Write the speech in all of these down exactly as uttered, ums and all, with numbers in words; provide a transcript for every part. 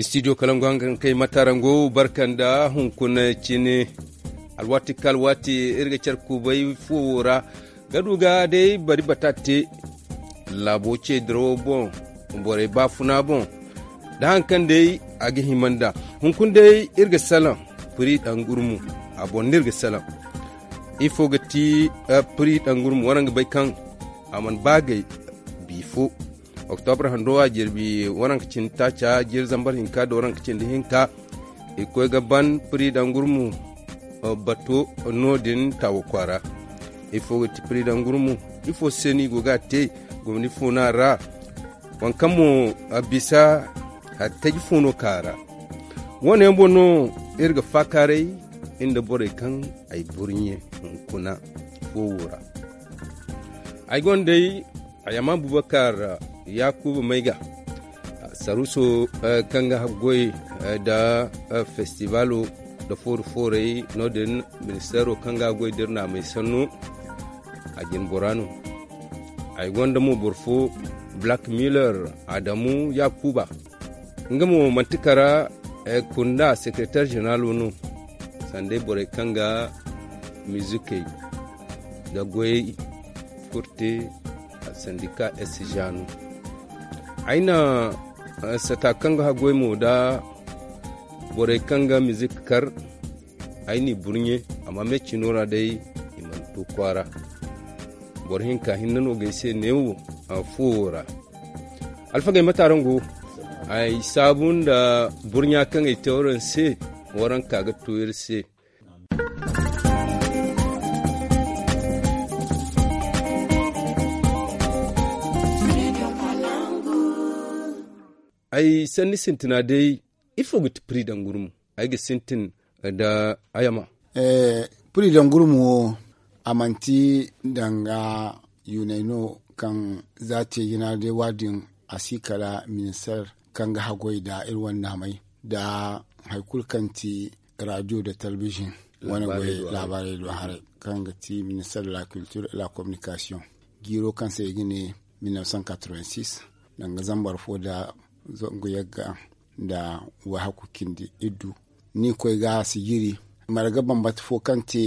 Studio kalangu hangan kay matarango barkanda hunkuna cine. Alwaati ka alwaati iri ga care kubay fuwo ra ga du ga day bari bata te laabo ce dirawo boŋ. Borey baafuna boŋ da haŋ kaŋ day a ga hima nd'a. Hunkuna day iri ga salaŋ piri dangurmu a boŋ no iri ga salaŋ. Ifo ga ti piri dangurmu waraŋ ga bay kaŋ a mana baagay biifo. Oktobra hando a jirbi waranka cindi taaca jiri zambar hinka da waranka cindi hinka. I koy ga ban piri dangurmu bato no- din tawo kwaara. Ifo ga ti piri dangurmu? Ifo se no i go ga a te? Gomni fo no a ra? Waŋ kaŋ mo a bisa hari taji fo no ka a ra? Wo- ne yaŋ boŋ no iri ga faakaaray nda borey kaŋ ay burɲe hunkuna fo wo ra. Ay gonda day ayama bubakar yakuba mayga saruso kaŋ ga haggoy nda festibalo nda foori fooray no- din. Ministeero kaŋ ga haggoy da iri naamay sanno a jin bora no. Ay gonda mo boro fo black miller adamu yakuba nga mo manti kara kunda sekretar zeneraalo no. Sanda borey kaŋ ga mizikey da goyey kurte sandika s jaanu. Ay na sata kaŋ ga haggoy mo da borey kaŋ ga mizik kar. Ay n'i burɲe amma me cino ra day i mana to kwaara. Boro hinka hinne no ga ay se neewo fuwo ra. Alfagey mate araŋ go? Ay saabu nda burɲa kaŋ ay te waraŋ se. Waraŋ ka ga to iri se. Ay sanni sintina day ifo ga ti piri dangurmu? Ay ga sintin da ayama. Piri dangurmu wo a manti danga yunay no kaŋ za te jina day waadin a si kala minister kaŋ ga haggoy da iri wane naamay da hari kulu kaŋ ti radio da talbijin wane goy laabaarey do haray kaŋ ga ti minister de la culture et la communication. Jiiro kaŋ se i ga ne mille neuf cent quatre-vingt-six danga zambar fo da zangu yagga nda wahakku cindi iddu. Ni koy ga sijiri marga bambata fo kaŋ te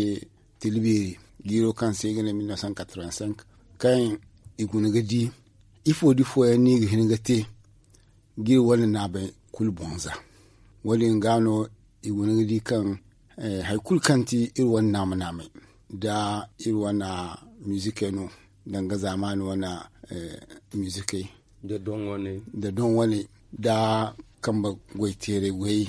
tilbiri jiiro kaŋ se i ga ne mille neuf cent quatre-vingt-cinq kaŋ i guna ga di ifo da ifo yaŋ no i ga hin ga te ga iri wane naamay kulu boŋ za. Wo- din ga no i guna ga di kaŋ hari kulu kaŋ ti iri wane naama naamay da iri wane mizikey no danga zaamaani wane mizikey da doŋ wane da kambe goy teeray goyey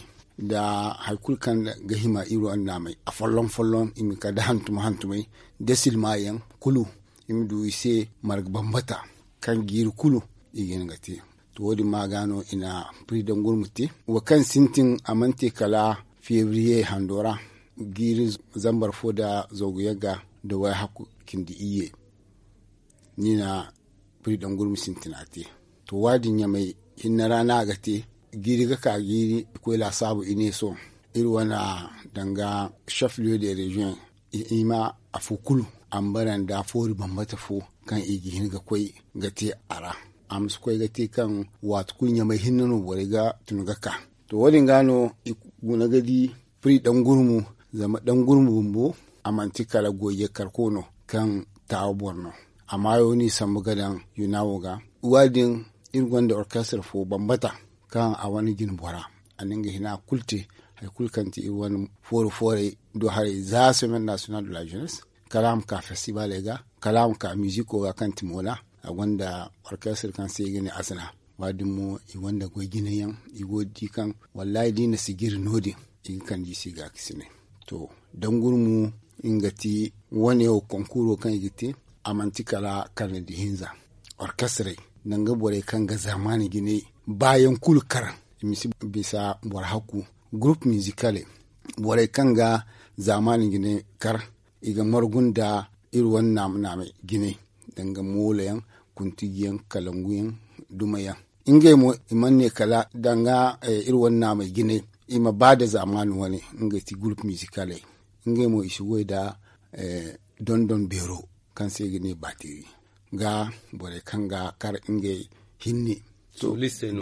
da hari kulu kaŋ ga hima iri wane naamay a folloŋ folloŋ i ma kala da hantum hantumey da silma yaŋ kulu i ma du i se marga bambata kaŋ jiiri kulu i ga hin ga te. To wo- din ma ga no i na piri dangurmu te wo kaŋ sintin a mana te kala febriye hando ra jiiri zambar fo da zangu yagga da wayhakku cindi iyye. Ni na piri dangurmu sintina te. To waadin ɲamay hinne ra no a ga te. Jiiri ga ka jiiri i koy laasaabu i ne sohõ iri wane danga chef lieu de région i ma afo kulu a ma bara nda foori bambata fo kaŋ i ga hin ga koy ga te a ra. A ma si koy ga te kaŋ waati kulu ɲamay hinne no borey ga tun ga ka. To wo- din ga no i guna ga di firi dangurmu zama dangurmu bumbo a manti kala goyey karko no kaŋ taawa boro no. A maayo no i sambu ga daŋ yuna wo ga. Waadin iri gonda orkestre fo bambata kaŋ a wane jine bora a na nga hina kulu te hari kulu kaŋ ti iri wane foori fooray do haray za semaine nationale de la jeunesse kala a ma ka festivaley ga kala a ma ka miziko ga kaŋ ti moola. A gonda orkestre kaŋ se i ga ne asana. Waadin mo i gonda goy jine yaŋ i go ga di kaŋ wallahi da i na sijiri no- din i ga kande i se gaakasinay. To dangurmu nga ti wane wo konkuro kaŋ i ga te a manti kala karne da hinza orkestrey danga borey kaŋ ga zaamaani jinay baayaŋ kulu kar i ma si bisa boro hakku gurup mizikale borey kaŋ ga zaamaani jinay kar i ga margu nda iri wane naama naamay jinay danga moolo yaŋ kuntiji yaŋ kalangu yaŋ duma yaŋ. Ngey mo i mana ne kala danga iri wane naamay jinay i ma ba nda zaamaani wane ngey ti gurup mizikaley. Ngey mo i si goy nda dondon beero kaŋ se i ga ne bateri ga borey kaŋ ga kar ngey hinne.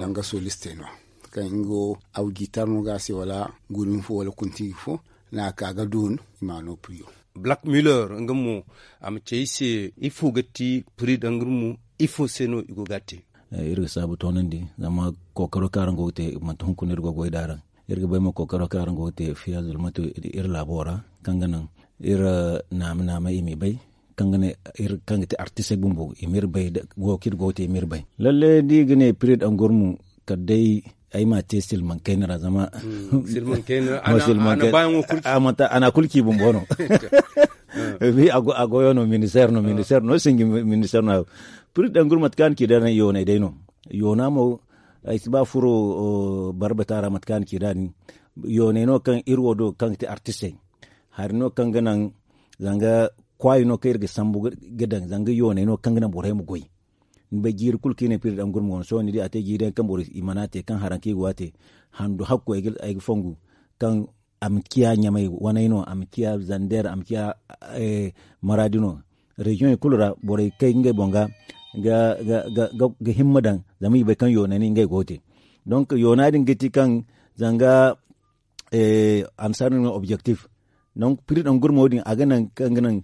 Danga solistey no kaŋ nga wo awjitar no ga a se wala gurin fo wala kuntigi fo. No a ka ga doon i ma no priyo. Black miller nga mo a ma ce i se ifo ga ti piri dangurmu ifo se no i go ga a te? Iri ga saabu toonandi zama kookaro kaŋ araŋ go ga te manti hunkuna iri go ga way da araŋ. Iri ga bay mo kookaro kaŋ araŋ go ga te fiya zulmatu iri laabo ra kaŋ ga naŋ iri naama naama i m'i bay kaŋ ga ne iri kaŋ ga te artisey bumbo i m'iri bay. Go kaŋ iri go ga te i m'iri bay lalle da i ga ne piri dangurmu kala day ay m'a te silmaŋ kayna ra zama silmaŋ kayna ra a na kulu ci bumbo no. A goyo no minister no minister no sinji minister no. Piri dangurmu mate kaŋ a na ci da yoonay day no. Yoona mo ay si ba furo barbata ra mate kaŋ a na ci da din. Yoonay no kaŋ iri wo do kaŋ ga te artisey hari no kaŋ ga naŋ zanga kwaayi no kaŋ iri ga sambu ga daŋ zanga yoonay no kaŋ ga naŋ borey ma goy. Ni bay jiiri kulu kaŋ i ne piri dangurmu wane sohõ ni di a te jiiri yaŋ kaŋ boro i mana te kaŋ haraŋ kaŋ i go a te handu hakku ay ga fongu kaŋ a ma ciya ɲamay waney no a ma ciya zander a ma ciya maraadi no. Reziyoŋey kulu ra borey kay ngey boŋ ga ga himma daŋ zama i bay kaŋ yoonay no ngey go ga te. Donk yoona din ga ti kaŋ zanga a ma si a no ni ma objektif. Donk piri dangurmo din a ga naŋ kaŋ ga naŋ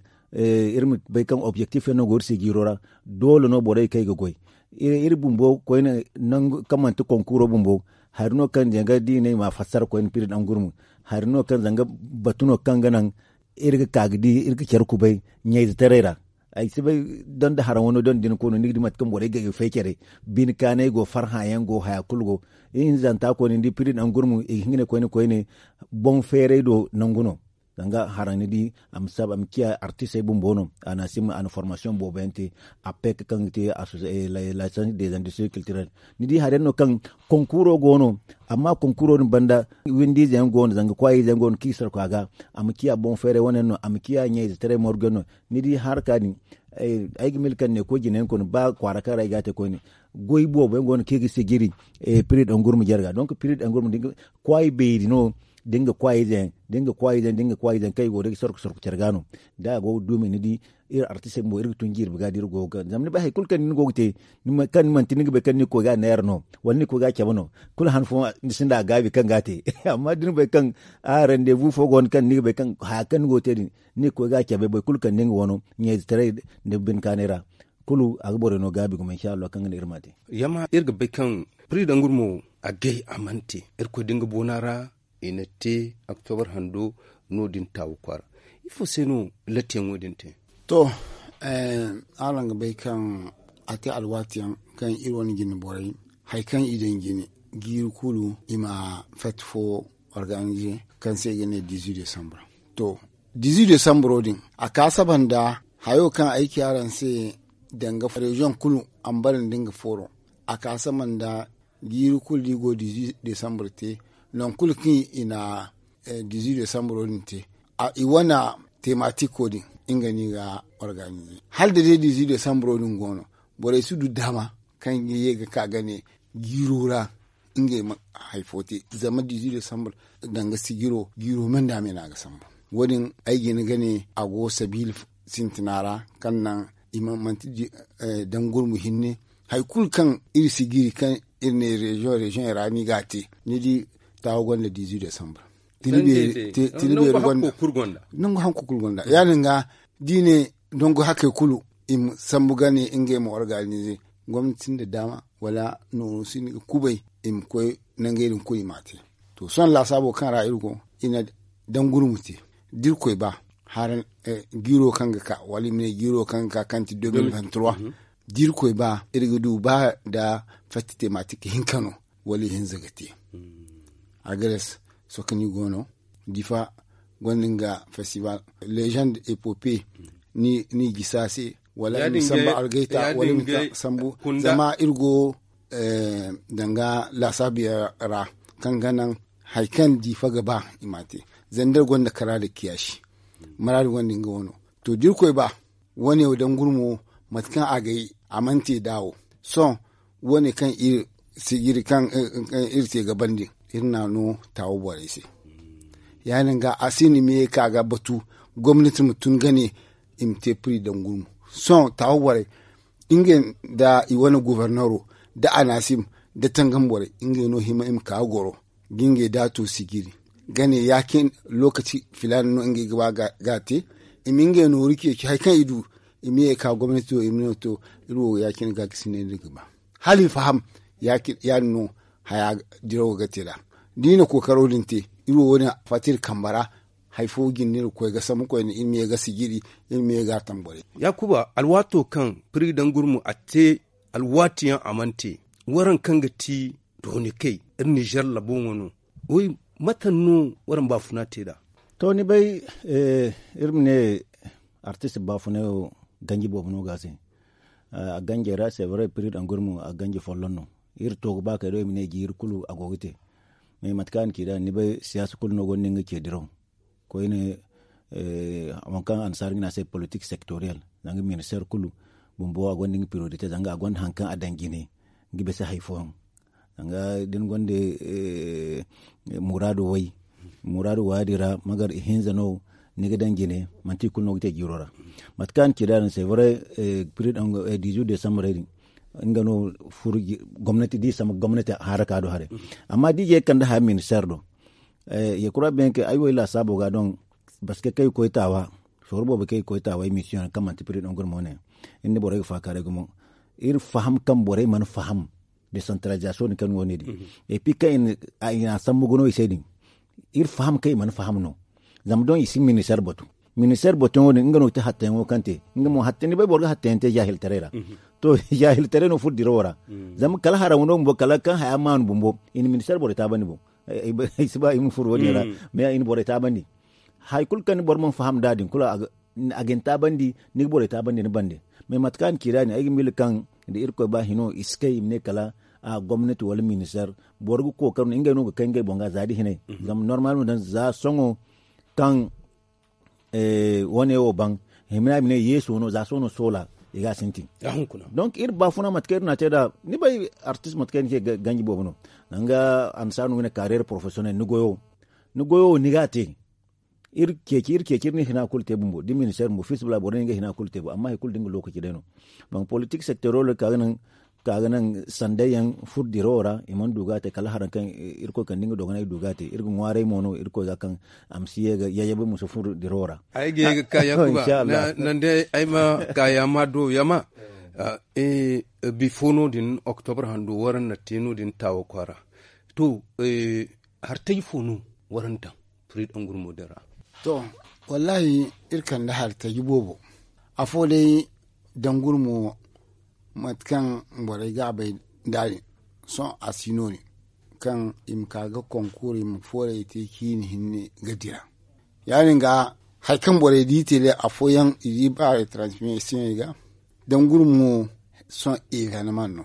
iri ma bay kaŋ objektif yaŋ no go iri se jiiro ra. Doole no borey kaŋ ay ga goy iri bumbo koyne nangu kaŋ manti konkuro bumbo. Hari no kaŋ zanga da i ne i ma a fassara koyne piri dangurmo hari no kaŋ zanga batu no kaŋ ga naŋ iri ga ka ga di iri ga care kubay ɲayzetaray ra. Ay si bay donda haraŋ wano donda din koyno ni ga di mate kaŋ borey ga ga fay care bine kaanay go farhã yaŋ go haya kulu go. Ihinzanta koyne ni di piri dangurmo i ga hin ga ne koyne koyne boŋ feeray do nangu no. Zanga haraŋ ni di a ma saba a ma ciya artisey bumbo no a na a si ma a na formasiyoŋ boobo yaŋ te. A pek kaŋ ga te a sosa lasansi de zandistiri kiltirel ni di hari yaŋ no kaŋ konkuro go no. Amma konkuro din banda windiize yaŋ go no zanga kwaayiize yaŋ go no kaŋ i sarku a ga a ma ciya boŋ feeray wane yaŋ no a ma ciya ɲayzetaray morgu yaŋ no. Ni di haraka din ay ga mila kaŋ ne koy jina yaŋ koyne ba kwaara kaŋ ra ay ga a te koyne goy boobo yaŋ go no kaŋ i ga sijiri piri dangurma jare ga donk piri dangurma kwaayi beeri no da nga kwaayiize yaŋ da nga kwaayiize yaŋ da nga kwaayiize yaŋ kaŋ i go day ga sorko sorko care ga no. Da a go ga duumi ni di iri artistey bumbo iri ga tun jirbi ga da iri go ga zama ni bay hari kulu kaŋ ni go ga te kaŋ ni manti ni ga bay kaŋ ni ga koy ga a neera no wala ni ga koy ga a cabe no. Kulu han fooyaŋ ni sinda a gaabi kaŋ ga a te. Amma da ni bay kaŋ a randeebu fo go no kaŋ ni ga bay kaŋ haya kaŋ ni go ga te din ni ga koy ga a cabe boro kulu kaŋ da nga wano ɲayzetaray nda bine kaanay ra. Kulu a ga borey no gaabi gumo insha allahu kaŋ ga ne iri m'a te. Yamma iri ga bay kaŋ piri dangurmo a gay a mana te irkoy da nga boona ra i na te oktobar hando no- din taawu kwaara. Ifo se no lattiyaŋo din te? To, araŋ ga bay kaŋ a te alwaati yaŋ kaŋ iri wane jine borey hari kaŋ i daŋ jine jiiri kulu i ma fati fo organize kaŋ se i ga ne dizi desambur. To, dizi desamburo din a ka saba nda hayo kaŋ ay ci araŋ se danga reziyoŋ kulu a ma bare nda nga fooro. A ka saba nda jiiri kulu da i go dizi desambur te. Nangu kulu kaŋ i na dizi desamburo din te i wane tematiko din nga no i ga organize hala da day dizi desamburo din go no borey si du daama kaŋ ga ye ga ka ga ne jiiro ra ngey ma hari fo te. Zama dizi desambur danga sijiro jiiro me nda me no a ga sambu. Wo- din ay jina ga ne a go sabiila sintina ra kaŋ naŋ i ma manti dangurmu hinne hari kulu kaŋ iri sijiri kaŋ iri ne reziyoŋ reziyoŋey ra no i ga a te. Ni di taawo gonda dizi desambur tini beeri gonda nangu hanku kulu gonda ya- din ga da i ne nangu hakey kulu i ma sambu ga ne ngey ma organize gomnati sinda daama wala nooru sinda ga kubay i ma koy nangey din kulu i m'a te. To sohõ laasaabo kaŋ ra iri go i na dangurmu te da irkoy ba jiiro kaŋ ga ka wala i ma ne jiiro kaŋ ga ka kaŋ ti deux mille vingt trois da irkoy ba iri ga du ba nda fatti tematik hinka no wala ihinza ga te. Agares sokoni go no difa gonda nga festival legend epope ni gisa se wala i ma sambu algayta wala i ma sambu zama iri go danga laasaabu yaŋ ra kaŋ ga naŋ hari kaŋ difa ga ba i ma te zandar gonda kara da kiyaasi maraadi gonda nga wano. To da irkoy ba wane wo dangurmo mate kaŋ a gay a mana te daawo sohõ wane kaŋ iri kaŋ iri te ga bandi iri na no taawo borey se. Ya- din ga a si no i ma ye ka ga batu gomnati ma tun ga ne i ma te piri dangurmo. Sohõ taawa borey ngey nda i wane gobornero nda anasim nda tangam borey ngey no hima i ma ka ga goro ga ngey daato sijiri ga ne ya- cine lookaci filaana no ngey ga ba ga a te. I ma ngey nooru ceeci hari kaŋ i du i ma ye ga ka gomnati do i ma ne to iri wo ya- cine ga ga sinay no iri ga ba hala i faham. Ya- din no haya dirawo ga te nd'a da i na kookaro din te iri wo wo- din a fatta iri kambe ra. Hari fo jinde iri ga koy ga sambu koyne iri ma ye ga sijiri iri ma ye ga a tamborey. Yaakuba alwaato kaŋ piri dangurmu a te alwaati yaŋ a mana te waraŋ kaŋ ga ti dooni kay iri nizer labo ŋwa no. Mate no waraŋ baafuna te nd'a? To ni bay iri ma ne artist baafunay wo ganji boobo no ga a se. A ganjey ra sevre piri dangurmu a ganji folloŋ no. Iri to ga ba kay do i ma ne jiiri kulu a go ga te. Mais mate kaŋ a na ci nd'a ni bay siyaasa kulu no gonda nga ce diraw koyne. Waŋ kaŋ annasaara ga ne a se politik sektoriyel zanga ministeer kulu bumbo a gonda nga priyorite zanga a gonda hari kaŋ a daŋ jine ga bisa hari fooyaŋ. Zanga da ni gonda muraadu way muraadu waadi ra magar ihinza no ni ga daŋ jine manti i kulu no ga te jiiro ra. Mate kaŋ a na ci nd'a din sevre piri daŋ dizu desambarey din nga no furo gomnati da i sama gomnati haraka do haray. Amma da i je ga kande haya ministeer do ya kura beŋ kay ay wo ay laasaabo ga doŋ baske kaŋ i koy taawa sooru boobo kaŋ i koy taawa ay misiyoŋ kaŋ manti piri daŋ gurmo ne. Iri na borey ga faakaaray gumo iri faham kaŋ borey mana faham desantaralizasiyoŋ din kaŋ ni wo ne din. Epi kaŋ i na a sambu ga no i se din iri faham kaŋ i mana faham no. Zama doŋ i si ministeer batu ministeer batuyaŋo din nga no ga te hattayaŋo kaŋ te nga mo hatta ni bay boro ga hattayaŋ te jaahiltaray ra. To jaahiltaray no furo dirawo ra. Zama kala haraŋ no bumbo kala kaŋ haya maanu bumbo i na ministeer borey taabandi boŋ. Ay si ba i ma furo wo- din ra mais i na borey taabandi. Hari kulu kaŋ ni boro mana faham nd'a din kulu a ga ni taabandi ni ga borey taabandi ni bande. Mais mate kaŋ a na ci nd'a din ay ga miila kaŋ da irkoy ba hino i si kay i ma ne kala a gomnati wala ministeer boro ga kookar no ngey no ga kay ngey boŋ ga za da hinay. Zama normal ma daŋ za sohõ kaŋ wane wo baŋ hima no a ma ne yeeso no za sohõ no soola i ga a sintin. Donc iri baafuna mate kaŋ iri na a te nd'a ni bay artist mate kaŋ ni ce ganji boobo no. Zanga annasaara no ga ne kaareer porofesiyonel ni goyo wo ni ga a te. Iri ceeci iri ceeci iri na hina kulu te bumbo da ministeer bumbo fiisabilillahi boro no ni ga hina kulu te bo amma hari kulu da nga lookaci day no. Boŋ politik sektoriyel ka ga naŋ ka ga naŋ sanday yaŋ furo dirawo ra i mana du ga a te kala haraŋ kaŋ irkoy kande nga dogonay du ga a te iri ga ŋwaaray mo no irkoy ga kaŋ a ma si ye ga yayyabe musa furo dirawo ra. Ay ga ye ga ka yakuba. Nande ay ma ka yaama do yaama. Bifo no- din oktobre hando waraŋ na te no- din taawa kwaara. To hartaji fo no waraŋ daŋ firi daŋ gurmo din ra? To wallahi iri kande hartaji boobo. Afo day daŋ gurmo mate kaŋ borey ga a bay nd'a din sohõ a si no- din kaŋ i ma ka ga konkuur i ma fooray te ciini hinne ga dira. Ya- din ga hari kaŋ borey di tele afooyaŋ i di ba retransmisiyoŋey ga daŋ gurmo sohõ eevenemaŋ no.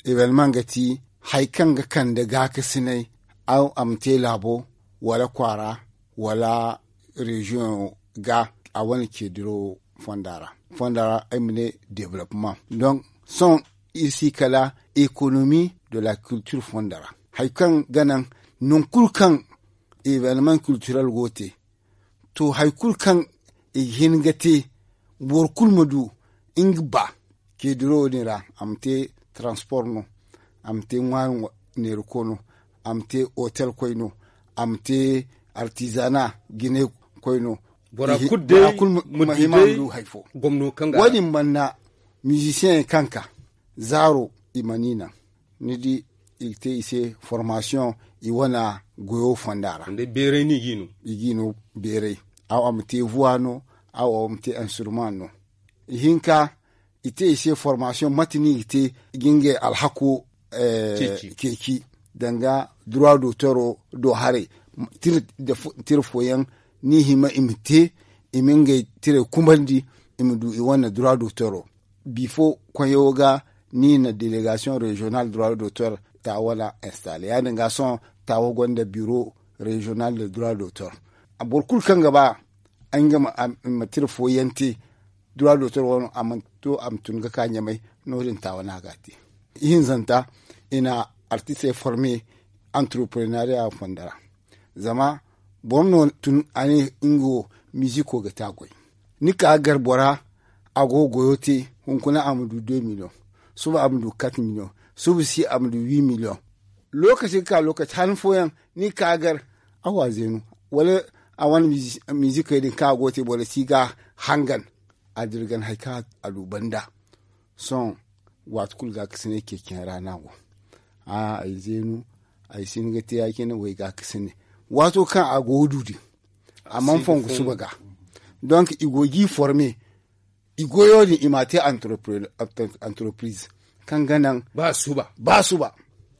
Eevenemaŋ ga ti hari kaŋ ga kande gaakasinay a ma te laabo wala kwaara wala reziyoŋo ga a wane ceediro fonda ra fonda ra ay ma ne development donc sohõ iri si kala ekonomi de la kiltir fonda ra hari kaŋ ga naŋ naŋ kulu kaŋ eevenemaŋ kiltirel go ga te to hari kulu kaŋ i ga hin ga te boro kulu ma du nga ba ceediro din ra a ma te transpor no a ma te ŋwaari neerako no a ma te otel koy no a ma te artizana jine koy no. Bora kulu day ma hima ma du hari fo. Wo- din banna mizisiyeŋ kaŋ ka zaaro i mana i naŋ ni di i ga te i se formasiyoŋ i wane goyo fonda ra. I ga i no beeray aw a ma te vuwa no aw a ma te instrument no. Ihinka i te i se formasiyoŋ mate no i ga te ga ngey alhako ceeci danga dura dootoro do haray. Tira fooyaŋ no i hima i ma te i ma ngey tiray kumandi i ma du i wane dura dootoro. Bifo koyo ga ni na delegasiyoŋ reziyonal dura dootoro taawa wala installe ya- din ga sohõ taawa gonda biro reziyonal de dura dootoro. Boro kulu kaŋ ga ba nga ma tira fooyaŋ te dura dootoro wano a mana to a ma tun ga ka ɲamay no- din taawa no a ga a te. Ihinzanta i na artistey forme antreprenariya fonda ra. Zama boro no tun a ne nga wo miziko ga te a goy ni ka ga gar bora a go ga goyo te. Hunkuna a ma du deux million, suba a ma du quatre million, suba si a ma du huit million. Lokaci ga ka lokaci han fooyaŋ ni ga ka gar awa zeenu, wala a wane mizikey din kaŋ a go ga te boro si ga hangan a dirgan hari kaŋ a du banda. Sohõ waati kulu gaakasinay ceeciyaŋ ra no a go. Ay zeenu, ay si hin ga te ya- cine way gaakasinay. Waato kaŋ a go ga du din a mana fongu suba ga. Donk i go ga i forme, i goyo din i m'a te anteropiriz kaŋ ga naŋ ba suba.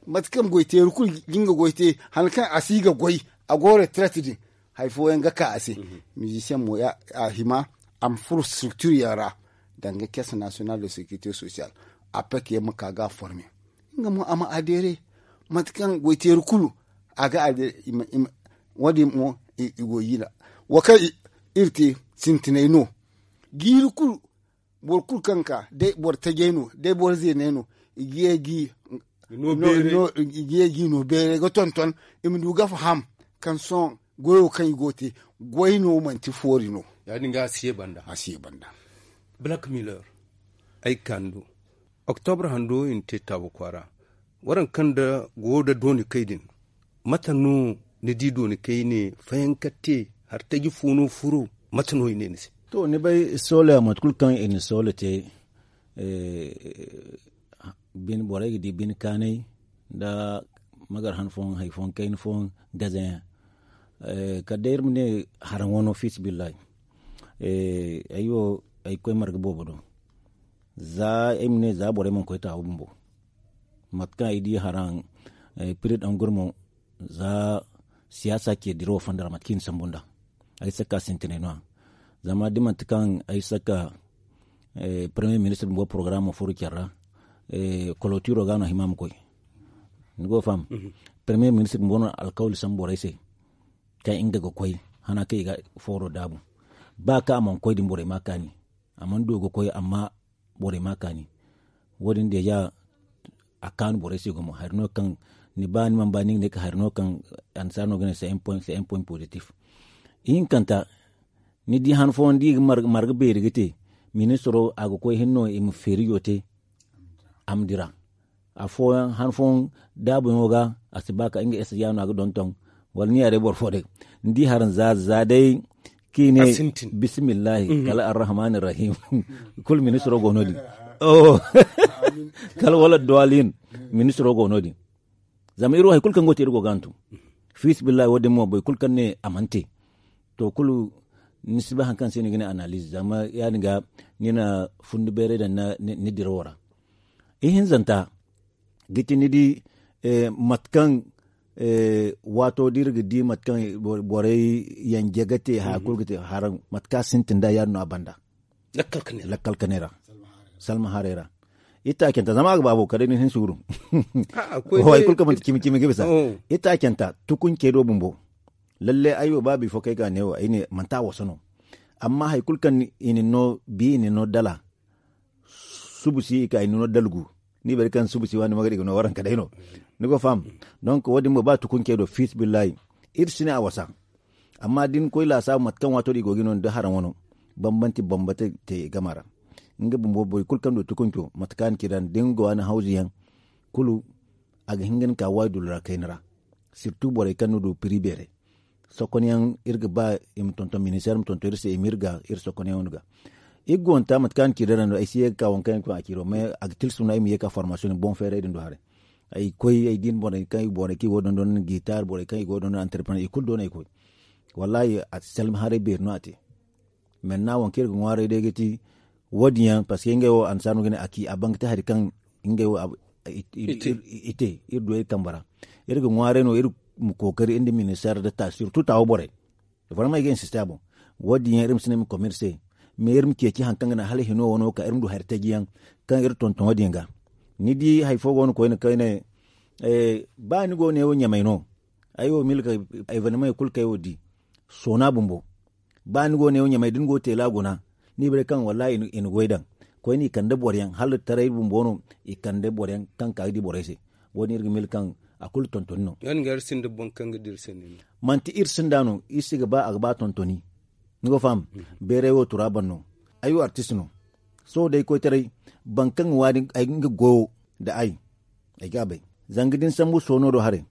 Mate kaŋ goyteeri kulu ga nga goy te hala kaŋ a si ga goy, a go retraite din, hari fooyaŋ ga ka a se. Mizisiyaŋ mo a hima a ma furo structure yaŋ ra, danga caisse nationale de sécurité sociale, a pek yaŋ ma ka ga a forme. Nga mo a ma adere mate kaŋ goyteeri kulu a ga adere. Wo- din mo i go ga i ra. Wo kaŋ iri te sintinay no. Jiiri kulu boro kulu kaŋ ga ka day boro tajay no day boro zeenay no, i ga ye ga i no beeray ga tonton i ma du ga faham kaŋ sohõ goyo kaŋ i go ga te goy no manti foori no. Ya- din ga a si ye banda. A si ye banda. Black miller ay ga ka ni do. Oktobra hando i na te taabu kwaara. Waraŋ kaŋ da go da dooni kay din, mate no ni di dooni kay ne fayanka te? Hari taji fo no furo? Mate no i ne ni se? To ni bay sola mate kulu kaŋ i na sola te, borey ga di bine kaanay nda magar han fooyaŋ hari fooyaŋ kayna fooyaŋ gazayaŋ. Kala day iri ma ne haraŋ wano fiisa billahi. Ay wo ay ga koy marga boobo do. Za ay ma ne za borey mana koy taawo bumbo. Mate kaŋ ay di haraŋ piri daŋ gurmo za siyaasa ce dirawo fonda ra mate kaŋ i na sambu nd'a. Ay saka sintinay no- ya zama da manti kaŋ ay saka premier ministre bumbo porogaraamo furo care ra. Kolotiro ga no a hima ma koy. Ni go ga faham? Premier ministre bumbo no alkawli sambu borey se kaŋ nga ga koy hana kaŋ i ga fooro daabu. Ba kaŋ a mana koy din borey ma a kaani. A mana du ga koy amma borey ma a kaani. Wo- din deeja a kaanu borey se gumo hari no kaŋ ni ba ni mana ba ni ga ne ka hari no kaŋ annasaara no ga ne se un point positif. Ihinkanta ni di han fooyaŋ da i ga marga beeri ga te ministiro a ga koy hinne no i ma feerijo te. A ma dira afooyaŋ han fooyaŋ daabuyaŋo ga a si ba ka nga ese ya no a ga donton. Wala ni ya day boro fo day ni di haraŋ za za day kaŋ i ne bismillahi kala arrahmani arrahim. Kulu ministiro go no- din kala wala duwalin ministiro go no- din. Zama iri wo hari kulu kaŋ go ga te iri go ga hantum fiisa billahi wo- din mo boro kulu kaŋ ne a mana te. To kulu ni si bay hari kaŋ se ni ga ne analize zama ya- din ga ni na fundi beeray daŋ ni dirawo ra. Ihinzanta ga ti ni di mate kaŋ waato da iri ga di mate kaŋ borey yanje ga te haya kulu ga te haraŋ mate kaŋ a sintin nd'a ya- din no a banda. Lakkal kanay ra salma haray ra. Itaacanta zama a ga baabo kala day ni hin suuru. Hay kulu kaŋ manti cimi cimi ga bisa. Itaacanta tukuncey do bumbo. Lalle ay wo ba bifo kaŋ ay ga a ne wo ay ne manti a wasa no. Amma hari kulu kaŋ i na ni no bi i na ni no dala subu si i ka i na ni no dalgu. Ni bari kaŋ subu si waani magadi ga no waranka day no. Ni go faham? Donk wo- din mo ba tukuncey do fiisa billahi iri si ne a wasa. Amma da ni koy laasaabu mate kaŋ waato din i go ga no nda haraŋ wano bambanti bambata te i gama ra. Nga bumbo boro kulu kaŋ du tukunco mate kaŋ a na ci da ni da ni go a na hawzu yaŋ kulu a ga hin ga ni ka waayi dullu ra kayna ra. Sirtu borey kaŋ ni du piri beeray sokonyaŋ iri ga ba i ma tonton ministeer ma tonton iri se i ma iri ga iri sokonyaŋo ni ga. Iri gonta mate kaŋ a na ci da rando ay si ye ga ka waŋ kaŋ yaŋ a ci do mais a ga tilsu no ay ma ye ka formasiyoŋ boŋ feeray din do haray. Ay koy ay din borey kaŋ i go ga dondon gitar borey kaŋ i go ga dondon antarpreneur i kulu do no ay koy. Wallahi a si salma haray beeri no a te. Maintenant waŋ kaŋ iri ga ŋwaaray day ga ti wo- din yaŋ parce que ngey wo annasaara no ga ne a ci a ban ga te hari kaŋ ngey wo i te iri du iri kambe ra. Iri ga ŋwaaray no iri ma kookari iri nda ministeer nda ta surtout taawo borey. Vraiment i ga insiste a boŋ. Wo- din yaŋ iri ma si ne ma komer se mais iri ma ceeci hari kaŋ ga naŋ hala hino wano ka iri ma du hari taji yaŋ kaŋ iri tonton wo- din ga. Ni di hari fo go no koyne kayne ba ni go ne wo ɲamay no. Ay wo milka evenement kulu kaŋ ay wo di soona bumbo. Ba ni go ne wo ɲamay da ni go teela guna ni bay kaŋ wallahi i na goy daŋ koyne i kande boro yaŋ hala taray bumbo no. I kande boro yaŋ kaŋ ka ga di borey se. Wo- din iri ga mil kaŋ a kulu tontoni no. Manti iri sinda no iri si ga ba a ga ba tontoni. Ni go faham? Beeray wo turaban no. Ay wo artist no. Sohõ day koytaray, boro kaŋ ga waani ay ga nga goyo nda ay, ay ga a bay. Zanga da ni sambu soono do haray,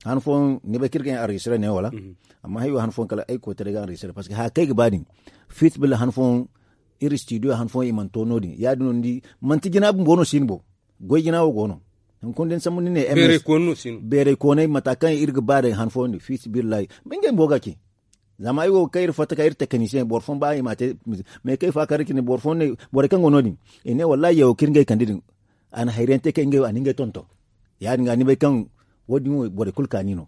han fooyaŋ ni bay kaŋ iri ga enregistre ne wala? Amma hari wo han fooyaŋ kala ay koytaray ga enregistre, parceque haya kaŋ ay ga ba din, fiisabilillahi han fooyaŋ iri studio han fooyaŋ i mana to no- din ya- din no ni di. Manti jina bumbo no si ni boŋ, goy jina wo go no. Hunkuna da ni sambu ni ne beeray koonay mata kaŋ iri ga ba day han fooyaŋ din fiisabilillahi, ngey bumbo ga a ce. Zama ay wo ga kay iri fatta kay iri tekinisiyeŋ boro fooyaŋ ba i ma a te. Mais kay fa kar cine boro fooyaŋ ne, borey kaŋ go no- din, i ne wallahi yawo kaŋ iri ngey kande din, a na hayra yaŋ te kaŋ ngey wo a na ngey tonton. Ya- din ga ni bay kaŋ wo- din wo borey kulu kaani no.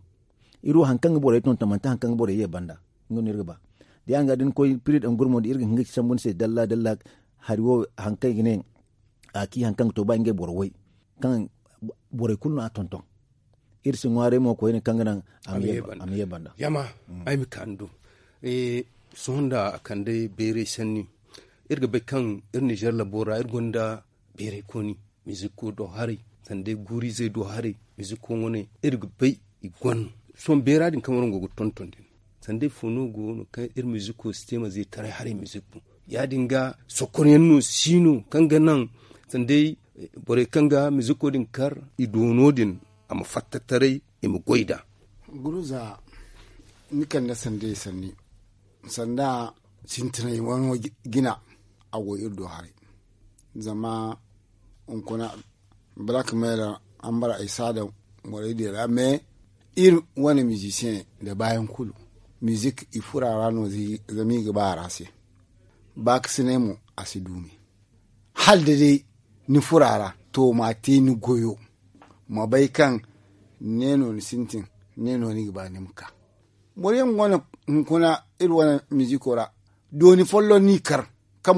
Iri wo hari kaŋ ga borey tonton manti hari kaŋ ga borey ye banda. Nga no iri ga ba da ya- din ga da ni koy piri daŋ gurmo din iri ga hin ga ci sambu ni se dalla dalla. Hari wo hari kaŋ i ga ne a ci hari kaŋ ga to ba ngey boro way kaŋ borey kulu no a tonton. Iri si ŋwaaray mo koyne kaŋ ga naŋ a ma ye banda. Yama, ay ma ka ni do. Sohõ nda a kande beeray sanni, iri ga bay kaŋ iri nizer labo ra iri gonda beeray kooni, miziko do haray, sanda guurizey do haray, miziko wane iri ga bay i go no. Sohõ beera din kaŋ waraŋ go ga tonton din, sanda ifo no go no kaŋ iri miziko si te ma zeetaray haray mizik boŋ? Ya- din ga sokoryaŋ no si no kaŋ ga naŋ sanda borey kaŋ ga miziko din kar i doono din a ma fatta taray, i ma goy nd'a. Guruza, ni kande sanda i sanni, sanda sintinay wano jina, a go iri do haray. Zama hunkuna black mail ambara ay si a daŋ borey din ra mais iri wane mizisiyeŋ nda baayaŋ kulu, mizik i furo a ra no zama i ga ba a ra se. Baakasinay mo a si duumi. Hala da day ni furo a ra, to ma te ni goyo, ma bay kaŋ ne no ni sintin, ne no ni ga ba ni ma ka. Boro yaŋ go no hunkuna iri wane miziko ra, dooni folloŋ no i kar kaŋ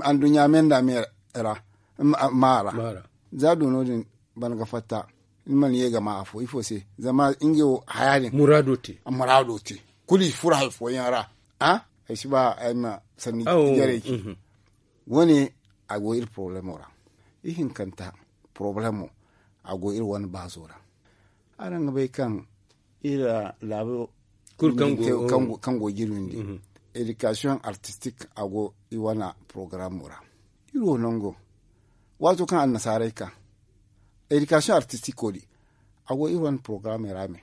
anduɲɲa me nda me ra, ma a ra. Za doono din ban ga fatta, ni mana ye ga ma afo ifo se? Zama ngey wo haya din muraado te. Kulu i furo hari fooyaŋ ra. Ay si ba ay ma sanni jarey ci. Wo- ne a go iri porobalemo ra. Ihinkanta porobalemo a go iri wane baazo ra. Araŋ ga bay kaŋ iri laabo kulu kaŋ go ga iri windi, edikasiyoŋ artistik a go i wane porogaramo ra. Iri wo nango, waato kaŋ annasaarey ka edikasiyoŋ artistiko din, a go iri wane porogaramey ra me.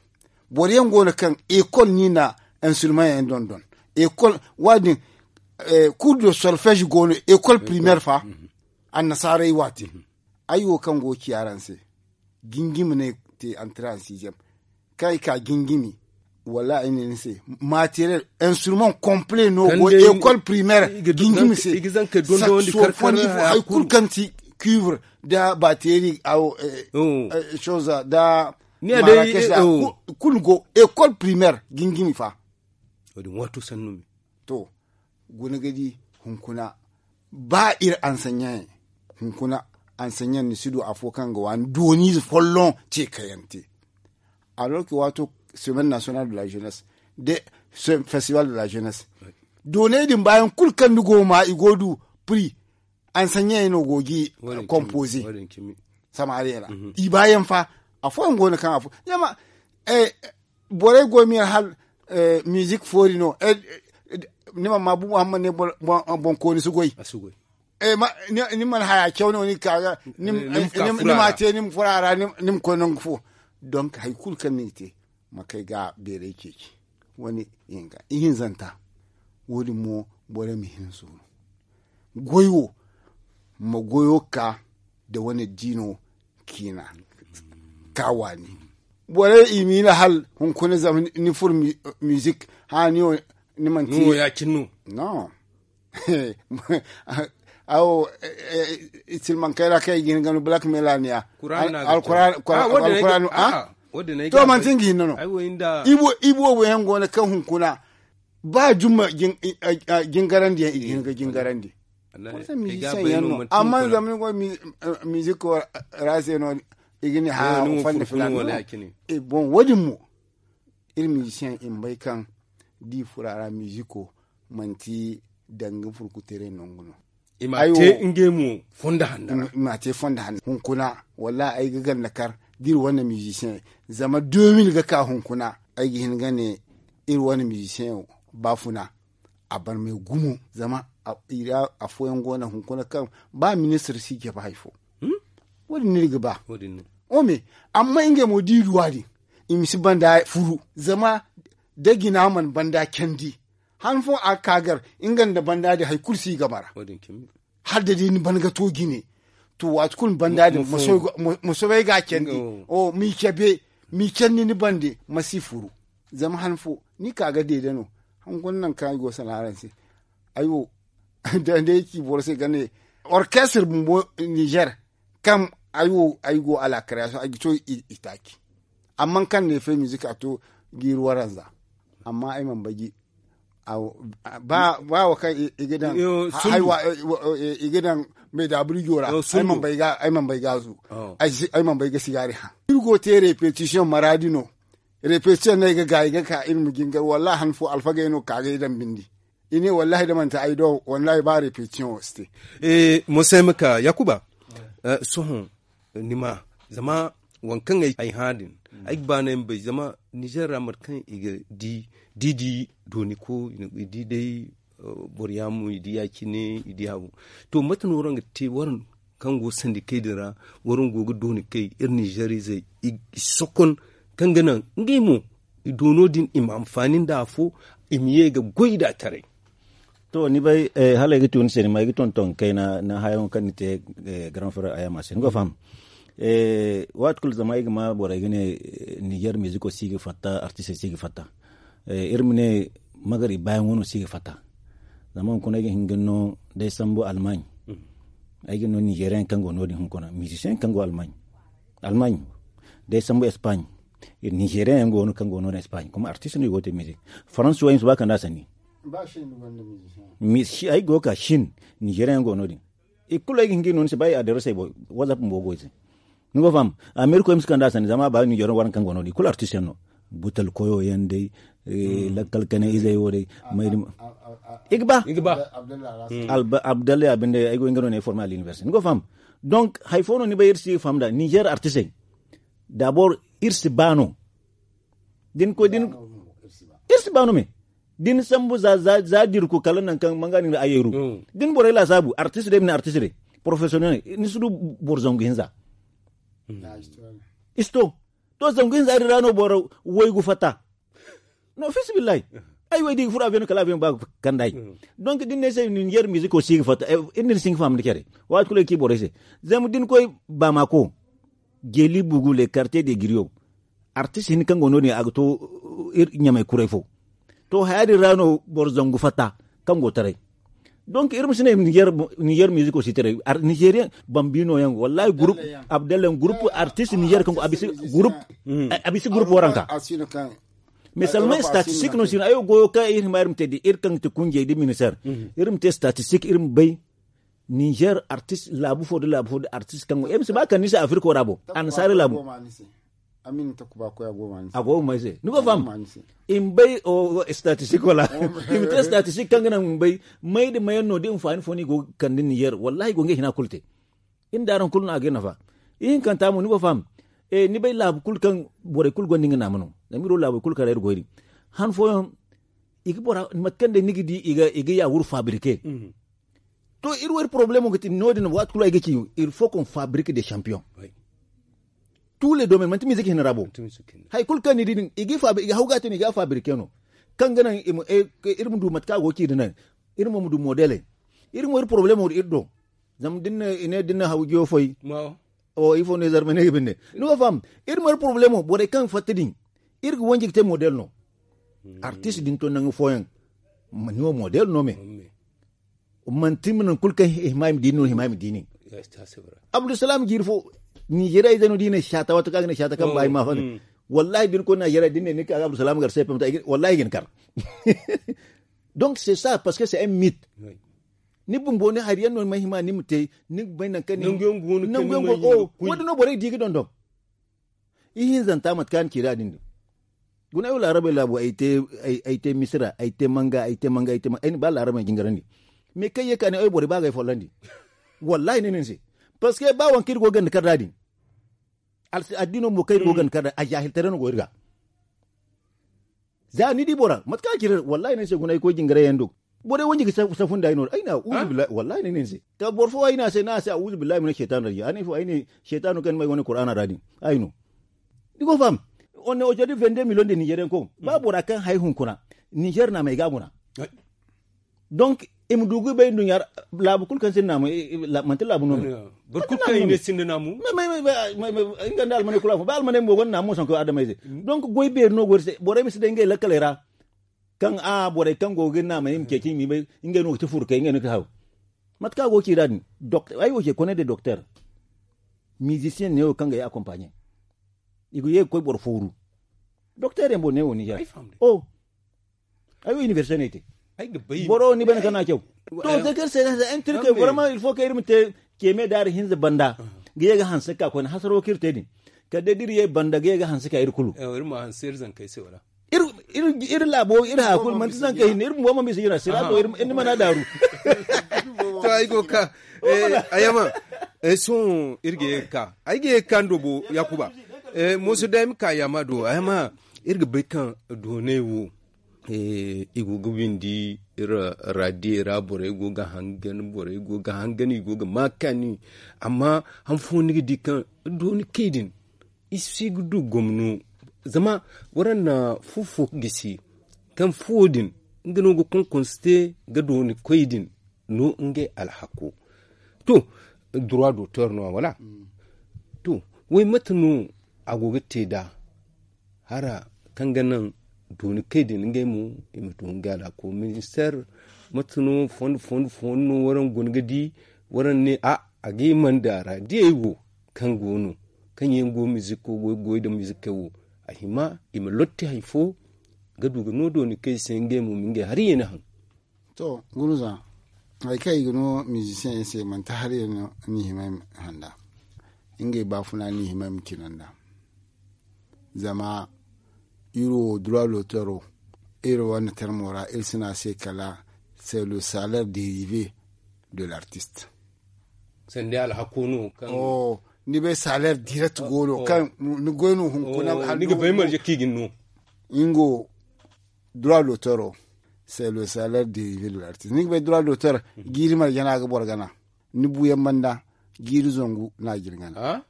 Boro yaŋ go no kaŋ ekol no i na instrument yaŋ dondon. Ekol wo- din, cours de solfège go no ekol primaire fa. Annasaarey waati ay wo kaŋ go ga ci araŋ se, jingimi no ay te antre en sixième. Kaŋ ay ka jingimi, wala ay ne ni se, materiel, instrument complet no go ekol primaire jingimi se. Saxofoŋ ifo hari kulu kaŋ ti cuivre nda bateri, awo, chose nda marakesh nda kulu go ekol primaire jingimi fa. To, guna ga di, hunkuna ba iri ansanɲaŋ hunkuna ansanɲaŋ ni si du afo kaŋ ga waani dooniize folloŋ ce kaŋ yaŋ te. Alors que waato semaine nationale de la jeunesse, de festival de la jeunesse, dooney din baayaŋ kulu kaŋ ni go ga ma i go ga du prix, ansanɲaŋey no go ga i kompoze. Samariya ra i baayaŋ fa. Afooyaŋ go no kaŋ afo zama borey go ga miila hala mizik foori no. Ni mana ma bumbo hammad ne boŋkooni si goy. Ni mana haya caw no ni ga ka ga ni ma te ni ma furo a ra ni ma koy nangu fo. Donk hari kulu kaŋ ni ga te ma kay ga beeray ceeci. Wane ihinka ihinzanta. Wo- din mo borey ma hin suuru goy wo ma goyo ka nda wane diino ciina ka waani. Borey i miila hala hunkuna zama ni furo mizik hã ni wo ni manti no. Awo silmankey ra kaŋ i ga hin ga no black melania alkuranu. To manti nga hinne no. Ibo wo yaŋ go no kaŋ hunkuna ba jumma jingarandi yaŋ i ga hin ga jingarandi. Amma zama ni go miziko ra se no i ga ne ha fanni filani. Bon wo- din mo iri mizisiyeŋ i ma bay kaŋ da i furo a ra miziko manti danga furkuteeray nangu no. I ma te ngey mo fondo hanno ra. Hunkuna wallahi ay ga ganda kar da iri wane mizisiyeŋ zama deux mille ga ka hunkuna ay ga hin ga ne iri wane mizisiyeŋ baafuna a barmay gumo zama afooyaŋ go no hunkuna kaŋ ba ministir si jabe hari fo. Wo- din no iri ga ba. Ome, amma ngey mo da i du a din, i ma si banda furu zama da jina mana banda candi. Han fo a ga ka gar nga nda banda din hari kulu si i game ra. Hala da day ni ban ga to jine, to waati kulu ni banda din ma soobay ga a candi. M'i cabe, m'i candi ni bande ma si furu. Zama han fo ni ka ga deede no. Hunkuna nangu kaŋ ay go ga sanaara ni se, ay wo da day ci boro se ga ne orkestir bumbo nizer, kaŋ ay wo ay go a la karyaso ay ga to i taaci. Amma kaŋ ne fe mizik a to jiiri waranza. Amma ay mana bay ji ba wo kaŋ i ga daŋ, i ga daŋ meedaburijo ra. Ay mana bay gaazu. Ay mana bay ga sigaari haŋ. Iri go ga te repetisiyoŋ maraadi no. Repetisiyoŋ no ay ga ga ay ga ka iri ma jingar wallahi han fo alfagey no ka ga ay daŋ bindi. I ne wallahi da manti ay do wallahi ba repetition wo si te. Mo se ay ma ka yakuba. Sohõ ni ma zama waŋ kaŋ ay hã din, ay ga ba no ay ma bay zama nizer ra mate kaŋ i ga di di dooni ko i di day. Boro yaamo i di ya- cine i di habu. To mate no waraŋ ga te waraŋ kaŋ go sandi kay din ra? Waraŋ go ga dooni kay iri nizer izey i sokon kaŋ ga naŋ ngey mo i doono din i ma anfaani nda afo, i ma ye ga goy nda taray. To ni bay, hala ay ga tun se ni ma ay ga tonton kayna na hayaŋo kaŋ ni te. Grand frère ayama se ni go faham. Waati kulu zama ay ga ma borey ga ne niger miziko si ga fatta artiste si ga fatta. Iri ma ne magari bayaŋo no si ga fatta. Zama hunkuna ay ga hin ga no day sambu almaaɲ. Ay ga no nigerian kaŋ go no- din hunkuna musician kaŋ go almaaɲ. Almaaɲ day sambu espaaɲ. Nigerian yaŋ go no kaŋ go no din espaaɲ kuma artiste no i go ga te mizik. Faransi wo ay ma si ba kanda sanni. Ay go ga ka shin nigerian yaŋ go no- din. I kulu ay ga hin ga no ni se ba i adresse ay boy. Whatsapp mbo go i se. Ni go faham. Ameriko ay ma si kanda sanni zama ba nigerian waranka kaŋ go no- din i kulu artiste yaŋ no. Butal koyo yaŋ day. Lakkal kane izey wo day. I ga ba. Abdalla ya binde ay go nga no ne forme à l'université ni go faham. Donc hari fo no ni bay iri si ga faham da niger artiste. D'abord iri si ba no. Din koy din iri si ba no me. Din sambu za diri ko kala nankaŋ manga ni ga ayeru. Din borey laasaabu artiste day ma ne artiste day. Professionnel ni si du boro zangu hinza. Isto to zangu hinza din ra no boro waygu fatta. No fisibillahi. Ay way da i ga furo avion kala avion ba ga kanda ay. Donc da ni ne ay se niger musico si ga fatta. Iri na iri si hin ga fahamandi care. Waati kulu ay ga ci borey se. Zama da ni koy bamako, jeeli bugu le quartier de griyo, artiste hinne kaŋ go no- din a ga to ɲamay kuray fo. To haya din ra no boro zangu fatta kaŋ go taray. Donc iri ma si ne niger musico si taray. Nigerien bambino yaŋ wallahi groupe abdalla yaŋ groupe artiste niger kaŋ go a bisa groupe waranka. Mais seulement statistique no si no ay wo goyo kaŋ iri hima iri ma te da iri kaŋ ga te kunjey da ministère. Iri ma te statistique iri ma bay niger artiste laabu fo da laabu fo da artiste kaŋ go ay ma si ba kande ni se afriko ra bo annasaari laabu. A go ga may se ni go faham. I ma bay statistique wala i ma te statistique kaŋ ga naŋ i ma bay may da mayaŋ no da hinfaani fo no i go ga kande niger wallahi i go ga ngey hina kulu te. Iri nda araŋ kulu no a ga iri nafa. Ihinkanta mo ni go faham. Ni bay laabu kulu kaŋ borey kulu gonda nga naama no. Zama iri wo laabey kulu kaŋ ra iri go iri han fooyaŋ i ga bora mate kaŋ day ni ga di i ga yaawuru fabrike. To iri wo iri problemo ga ti no- din waati kulu ay ga ci il faut qu'on fabrique des champions. Tous les domaines manti musique hinne ra bo. Hari kulu kaŋ ni di din i ga hau ga te no i ga fabrique no. Kaŋ ga naŋ iri ma du mate kaŋ a go ga ci din iri mo ma du modele. Iri mo iri problemo da iri do. Zama din ne din na haw jiyo foy. O ifo ne zarma ne ga binde ni go faham. Iri mo iri problemo borey kaŋ fatta din iri ga wanji ga te model no. Artiste din to nangu fooyaŋ ni wo model no me. Manti ma naŋ kulu kaŋ hima i ma di nin hima i ma di nin. Abdulsalam jiiri fo nigeria ize no da i ne shata wato kaŋ a ga ne shata kaŋ ba i ma fanda. Wallahi da ni koy nigeria da ni ne ni ka abdulsalam gar cpm ta wallahi i ga ni kar. Donc c'est ça parce que c'est un mythe. Ni bumbo ni hari yaŋ no ni ma hima ni ma te ni ga bay nangu kaŋ ni nangu yaŋ go o wo- din no borey di ga dondon. Ihinzanta mate kaŋ a na ci da din din. Guna ay wo laarabey laabu ay te misira ay te manga ay te manga ay te manga ay na ba laarabey jingarandi. Mais kaŋ ye ka ne ay borey ba ga ay follandi. Wallahi ne ni se parce que ba waŋ kaŋ iri go ganda kar da din. Addino mo kaŋ iri go ganda kar da a jahiltaray no go iri ga. Za ni di bora mate kaŋ a ci da wallahi ne ni se guna ay koy jingaray yaŋ do. Borey wanji ga safu nda ay no ay na uzu billahi wallahi ne ne se ka boro fo ay na se na se a uzu billahi mina shaytan raji ani fo ay ne shaytano kan mai wani qur'ana radi. Ay no. Digo fam. On ne ojodi vende million de nigerian ko ba bora kan hay hunkuna niger na mai gabuna. Donc i ma dugu bay dunya. Labu kul kan sin na mai manti labu no. Bor kul kan ine sin na mu. Inga da almane kula fo ba almane mo gon na mo sanko adamai se. Donc goy ber no gor se borai misi de ngai lakalai ra. Kaŋ a borey kaŋ go ga naamay i ma ceeci i ma bay. Ngey no ga ti furkey ngey no ga ti haw. Mate kaŋ a go ga ci nd'a din ay wo ce kone de doktor. Mizisiyen neewo kaŋ ga ye akompaaɲe. I ga ye ga koy boro fooru. Doktor yaŋ boŋ neewo ninzeer. Oh. Ay wo inibersite no ay te. Boro ni bane kaŋ no a caw. To se kaŋ iri se ne se intirkey boro ma il faut kaŋ iri ma te. Ceeme daari hinza banda ga ye ga hanse ga ka koyne hasaro kaŋ iri te din. Kala day da iri ye banda ga ye ga hanse ga ka iri kulu. Iri laabo iri haya kulu manti zanka hinne iri bumbo ma bisa jina sira to iri ni mana daaru. To ay go ga ka. Ay ma. Sohõ iri ga ye ga ka ay ga ye ga ka ni do bo yakuba. Mooso day ma ka yaama do ay ma. Iri ga bay kaŋ doonay wo i go ga windi iri raadiyey ra borey go ga hangan borey go ga hangan i go ga ma kaani. Amma han fo ni ga di kaŋ dooni kay din i si ga du gomno. Zama waraŋ na fu fo ga gisi kaŋ fuwo din nga no ga konkonste ga dooni koy din no ngey alhako. To droit d'auteur no a wala? To way mate no a go ga te nd'a hara kaŋ ga naŋ dooni kay din ngey mo i ma to ngey alhako minister? Mate no fondo fondo fondo no waraŋ guna ga di waraŋ ne a a ga i manda ra diyey wo kaŋ go no kaŋ yaŋ go miziko goy goy nda mizikey wo a hima i ma lotti hari fo ga du ga no dooni kay se ngey mo ma ngey hari ye ni haŋ. To gurza hari kaŋ i ga no mizisiyeŋ yaŋ se manti hari yaŋ no ni hima i ma handa ngey baafuna ni hima i ma cina nd'a. Zama iri wo droit d'auteur wo iri wane termo ra iri si ne a se kala c'est le salaire dérivé de l'artiste. Sanda alhako no kaŋ ni bay salaire direct go no kaŋ ni goy no hunkuna ni ga bay marje kaŋ i ga ni no. Nga wo droit d'auteur wo c'est le salaire dérivé de l'artiste ni ga bay droit d'auteur jiiri marje no a ga boro gana. Ni buuyaŋ banda jiiri zangu no a ga ni gana.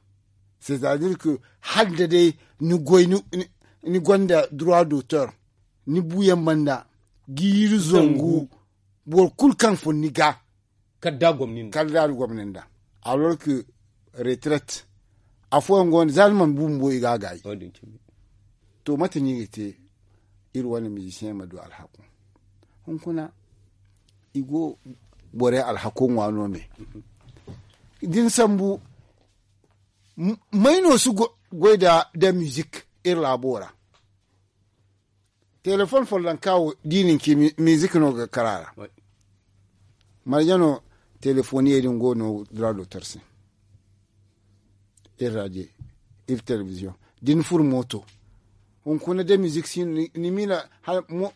C'est à dire que hala da day ni goy ni gonda droit d'auteur ni buuyaŋ banda jiiri zangu boro kulu kaŋ fun ni ga kala da a gomni nda alors que retraite afooyaŋ go no za ni mana bu bumbo i ga a gaayi. To mate no i ga te iri wane mizisiyeŋ ma du alhako hunkuna i go borey alhako ŋwa no me da ni sambu may no si goy nda mizik iri laabo ra. Telefon follonka wo da i na ni ci mizik no ga kar a ra. Marje no telefoniyey din go no droit d'auteur se iri radio iri telebiziyoŋ da ni furo mooto hunkuna da mizik si no ni miila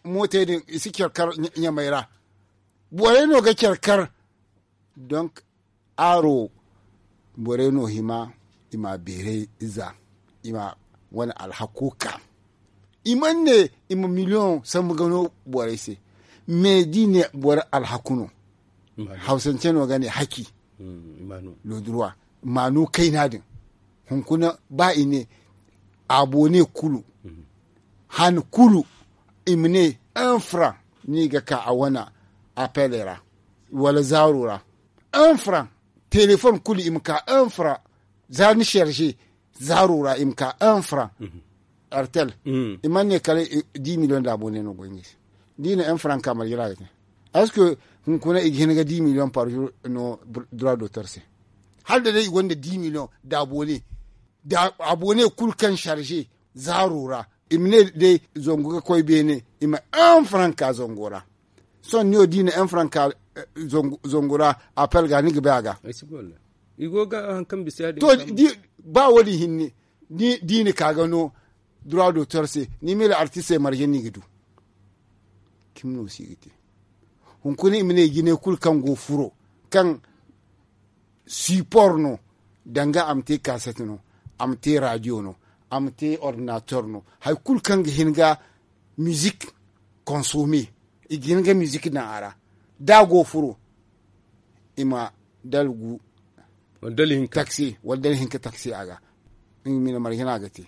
mootey din i si care kar ɲamey ra. Borey no ga care kar donk aaro borey no hima i ma beeray za i ma wane alhako ka i mana ne i ma miliyoŋ sambu ga no borey se. Mais da i ne boro alhaku no hawsance no ga ne haki lodurwa maanu kayna din hunkuna ba i ne abone kulu han kulu i ma ne un franc no i ga ka a wane appel ra wala zaaro ra un franc telefon kulu i ma ka un franc za ni charge zaaro ra i ma ka un franc artel i mana ne kala dix million da abone no go nga se da i na un franc ka marje ra ga te est ce que hunkuna i ga hin ga dix million par jour no droit d'auteur se hala da day i gonda dix million da abone da abone kulu kaŋ charge zaaro ra i ma ne day zangu ga koy beene i ma un franc ka zango ra sohõ ni wo da i na un franc ka zangu ra appel ga ni ga bay a ga to ba wo- din hinne da i na ka ga no droit d'auteur se ni mila artiste marje no i ga du cimi no si ga te hunkuna i ma ne jinay kulu kaŋ go furo kaŋ support no danga a ma te cassette no a ma te radio no a ma te ordinateur no hari kulu kaŋ ga hin ga musique consommer i ga hin ga musique daŋ a ra da a go furo, i ma dala gu taksi wala dala hinka taksi a ga. Nga ma i na marje no a ga te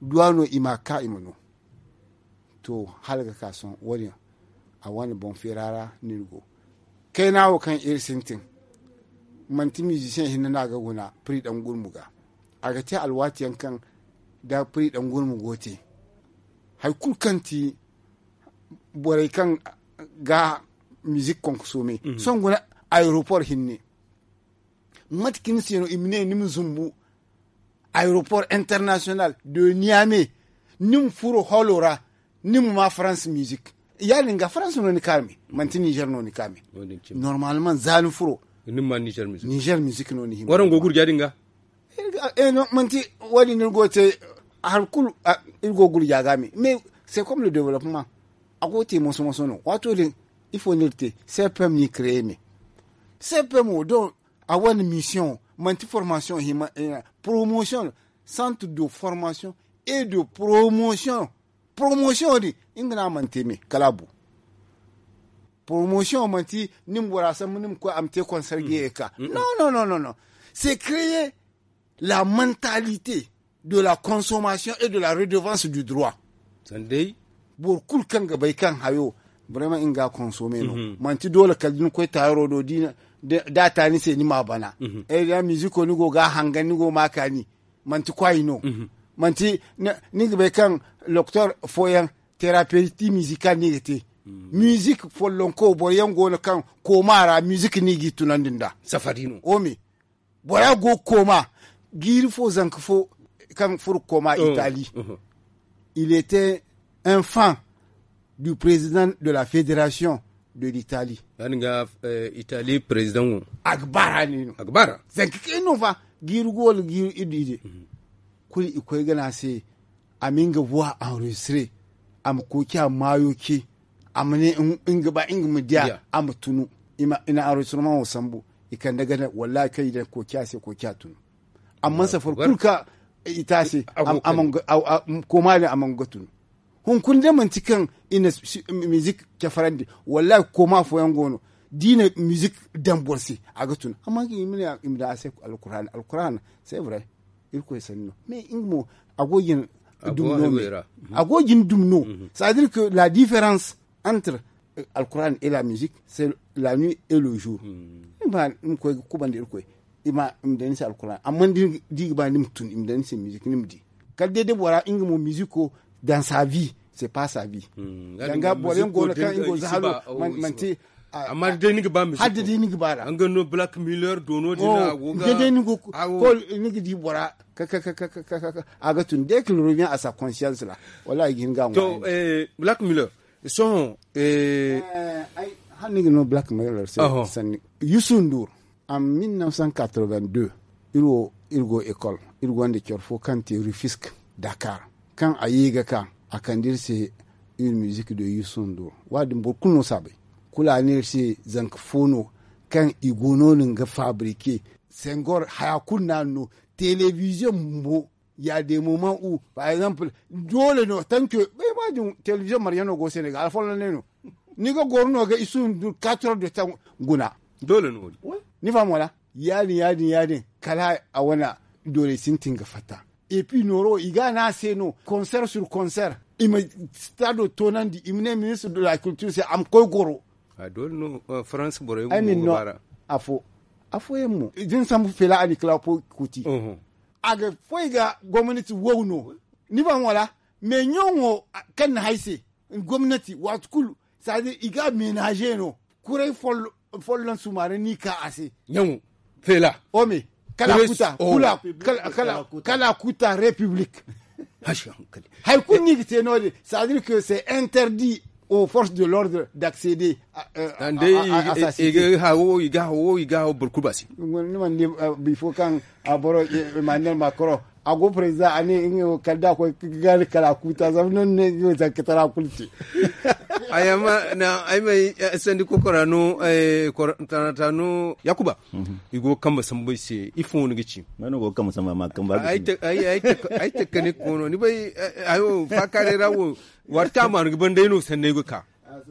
duwa no i ma ka i ma no. To, hala ga ka sohõ wo- din a wane boŋ feera ra no iri go. Kayna wo kaŋ iri sintin manti mizisiyeŋ hinne no a ga guna piri daŋ gurmu ga. A ga te alwaati yaŋ kaŋ da piri daŋ gurmu go te hari kulu kaŋ ti borey kaŋ ga mizik konkosoome sohõ guna aeropor hinne. Mate kaŋ ni se no i ma ne ni ma zumbu aeropor international de niame, ni ma furo holo ra, ni ma ma faransa mizik. Ya- din ga faransa no ni ka me, manti nizer no ni ka me. Normalman za ni furo nizer mizik no ni hima. Warango gurja din ga. Manti wo- din ni go te hari kulu. Iri go gurja ga me mais c'est comme le développement. A go te moso moso no waato din. Ifo ni iri te? Cpm ni créer me. Cpm wo don a wane mission manti formation hima promotion, centre de formation et de promotion. Promotion din nga no a mana te me kala a bu. Promotion manti ni ma bora sambu ni ma koy a ma te concert ga ye ga ka. Non, non, non, non, non. C'est créer la mentalité de la consommation et de la redevance du droit. Sandai boro kulu kaŋ ga bay kaŋ hayo vraiment nga ga consommer no. Manti doole kala da ni koy taaro do da a ta ni se ni ma bana. Ay da musico ni go ga hangan ni go ma kaani. Manti kwayi no. Manti ni ga bay kaŋ loktor fooyaŋ terapeyti mizikal no i ga te. Mizik follonko boro yaŋ go no kaŋ kooma ra mizik no i g'i tunandi nd'a. Safari no. Ome bora go ga kooma. Jiiri fo zanka fo kaŋ furo ga kooma itali. Il était un fan du président de la fédération de l'italie. Ya- din ga itali président wo a ga baara ne no. A ga baara zanka kay no fa. Jiiri go wala jiiri iddu ize. Kulu i koy ga ne a se a ma nga voix enregistré. A ma koy ci a maayo ce. A ma ne nga ba nga ma diya a ma tunu. I na enregistrement wo sambu. I kande gana wallahi kaŋ i daŋ koy ci a se koy ci a tunu. Amma safari kulu kaŋ i te a se kooma din a mana ga tunu. Hunkuna day manti kaŋ i na mizik cafarandi wallahi kooma fooyaŋ go no. Da i na mizik daŋ boro se a ga tun amma i ma ne i ma daŋ a se alkuraana. Alkuraana c'est vrai. Irkoy sanni no mais nga mo a go ga ni dumno me. A go ga ni dumno. C'est à dire que la différence entre alkuraana et la musique c'est la nuit et le jour. Ni ma koy ga kubandi irkoy i ma daŋ ni se alkuraana amma da i ga ba ni ma tun i ma daŋ ni se mizik ni ma di. Kala day da bora nga mo miziko dans sa vie c'est pas sa vie. Danga boro yaŋ go no kaŋ i go za halo manti amma da day ni ga ba miziko. Hadda day ni ga ba ra nga no black miller dono din a go ga day ni go ko ni ga di bora ka ka ka ka ka ka a ga tun dès qu'il revient à sa conscience ra. Wallahi ga hin ga to black miller sohõ. Ay hanni ga no black miller se sanni yusuf ndur. En mille neuf cent quatre-vingt-deux iri wo iri go école iri gonda care fo kaŋ te rufisk dakar. Kaŋ a ye ga ka a kande iri se une musique de yusuf ndur. Wa- din boro kulu no si a bay. Kulu a ne iri se zanka fo no kaŋ i go no- din ga fabriquer sengor haya kulu no a no. Télévision bumbo ya des moments où par exemple doole no tanke bay ma din télévision mariyano go sénégal alfollo ne no. Ni ga goro no ga isu ndu quatre heures de temps guna. Doole no ni faham wala? Ya- din ya- din ya- din kala a wane doole sintin ga fatta. Et puis nooro i ga a ne a se no concert sur concert i ma stado toonandi i ma ne ministre de la culture se a ma koy goro. Doole no france borey mo ga baara. Afo afooyaŋ mo din sambu fela a ni kala kuti. A ga foy ga gomnati wow no. Ni ban wala mais ɲaŋo kaŋ na hay se gomnati waati kulu c'est à dire i ga ménager no. Kuray follon sumaara ni ka a se ɲaŋo fela ome kala kuta kala kuta république. Hay kulu ni ga te no- din c'est à dire que c'est interdit aux forces de l'ordre d'accéder. Hawo i ga hawo i ga hawo boro kulu ba se. Ni mana di bifo kaŋ a boro emmanuel macron a go président a ne nga wo kala da koy ga ni kala a kuta zama no ne nga wo zanka tara kulu te. Ay amma na ay may sandi kokora no tanata no yakuba. I go kamba sambu ay se ifo no ga ci mano go kamba samba ma kamba ay te kane kono ni bay ayo fakare ra wo. Warta ma no ga ban day no sannay go ka.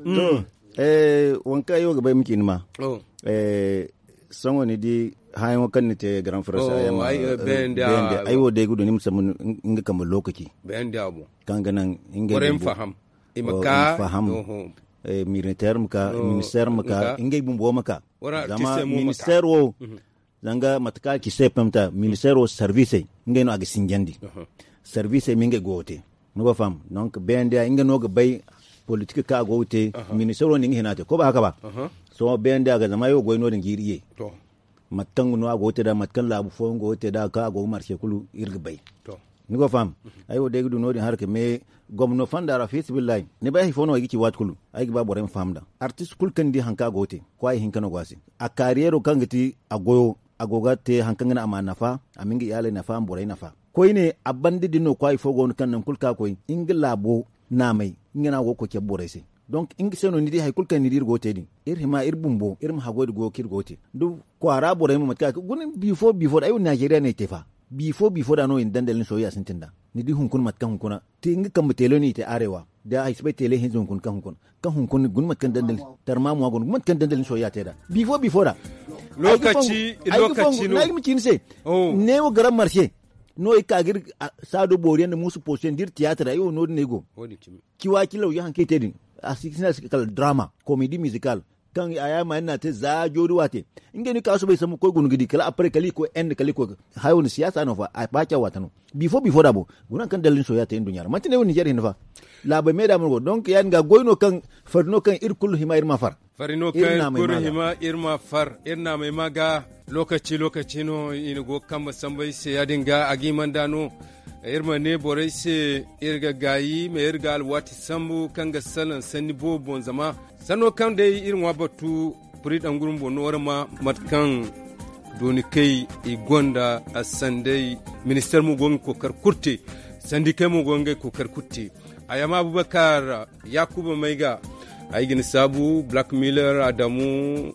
To Waŋ kaŋ ay wo ga bay ma ci ni ma. Sohõ ni di hããyaŋo kaŋ ni te garan farasa ay wo day ga du ni ma sambu nga kambe lokaci kaŋ ga naŋ ngey ma faham. Militeer ma ka, ministeer ma ka, ngey bumbo ma ka. Zama ministeer wo, zanga mate kaŋ a ci se pemta ministeer wo servisey ngey no a ga sinjandi. Servisey ma ngey goyo te, ni go faham. Donc bnda nga no ga bay politik kaŋ a go ga te. Ministeer wo ne nga hina te ko ba haka ba. Sohõ bnda ga zama ay wo goy no din ga iri ye. Mate kaŋ no a go ga te da mate kaŋ laabu fooyaŋ go ga te da kaŋ a go ga marse kulu iri ga bay. Ni go faham. Ay wo day ga du no- din haraka me gomno fanda ra fisibillahi ni bay hari fo no ay ga ci waati kulu. Ay ga ba borey ma faham da artist kulu kaŋ ni di hari kaŋ a go ga te kwaayi hinka no go a se. A kaariyero kaŋ ga ti a goyo a go ga te hari kaŋ ga naŋ a ma nafa, a ma nga iyaaley nafa a ma borey nafa. Koyne a banda din no kwaayi fo go no kaŋ nangu kulu kaŋ a koy nga laabo naamay nga no a go ga koy cabe borey se. Donc nga se no ni di hari kulu kaŋ ni di iri go ga te din iri hima iri bumbo iri ma haggoy nda goyo kaŋ iri go ga te. Nda kwaara borey mo mate kaŋ a ga guna bifo bifo da ay wo naazeeriya no ay te fa. Bifo bifo da no i na dandali ni soyayya sintin da. Ni di hunkuna mate kaŋ hunkuna te nga kambe teele no i te arewa da ay si bay teele hinza hunkuna kaŋ hunkuna kaŋ hunkuna guna mate kaŋ dandali tarmamuwa go no guna mate kaŋ dandali ni soyayya te da. Bifo bifo da. Lokaci lokaci no ay ga ma ci ni se. Ne wo garan marse no i ka ga iri saado boori yaŋ nda muusu poosu yaŋ da iri tiyaatira ay wo no- din no ay go. Ciwa ci lawya hari kaŋ i te din a si ga sinda se kala drama komedi mizikal kaŋ a yaama yaŋ no a te za joori waate. Ngey no i ka soobay sambu ga koy guna ga di kala apre kala i koy ende kala i koy hayo nda siyaasa no fa a baaca waate no. Bifo bifo da bo guna hari kaŋ dalla ni soyayya te nduɲɲa ra manti ne wo ninzeer hinne fa. Laabey me da mana go donk ya- din ga goy no kaŋ fari no kaŋ iri kulu hima iri ma far. Fari no kaŋ iri kulu hima iri ma far iri naamey ma ga. Lokaci lokaci no i na go ga kambe sambu ay se ya- din ga a ga hima nd'a no. Iri ma ne borey se iri ga gaayi ma iri ga alwaati sambu kaŋ ga salaŋ sanni boobo boŋ zama sanno kaŋ day iri ŋwa batu. Puri danguru bumbo no wara ma mate kaŋ dooni kay i gonda a sanday. Ministeer mo go ga kookari kulu te sandikey mo go ga ngey kookari kulu te. Ayama abubakar yakuba mayga ay ga ni saabu black miller adamu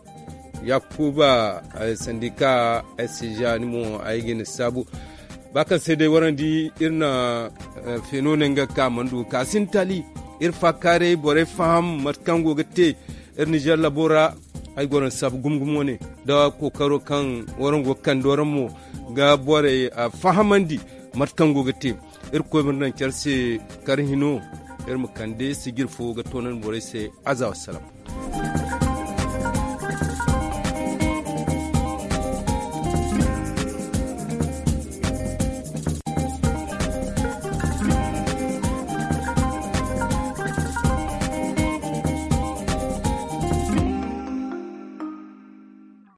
yakuba sandika sija ni mo ay ga ni saabu. Ba kaŋ se day warandi iri na feeno ne nga ga ka mana du ga ka sinda taali. Iri faakaaray borey faham mate kaŋ go ga te iri nizeer labo ra. Ay goro ni saabu gumo gumo wane nda kookaro kaŋ waraŋ go ga kande waraŋ mo ga borey fahamandi mate kaŋ go ga te. Iri koy ma ni daŋ care se kar hino iri ma kande sijir fo ga toonandi borey se. Aza wassalam.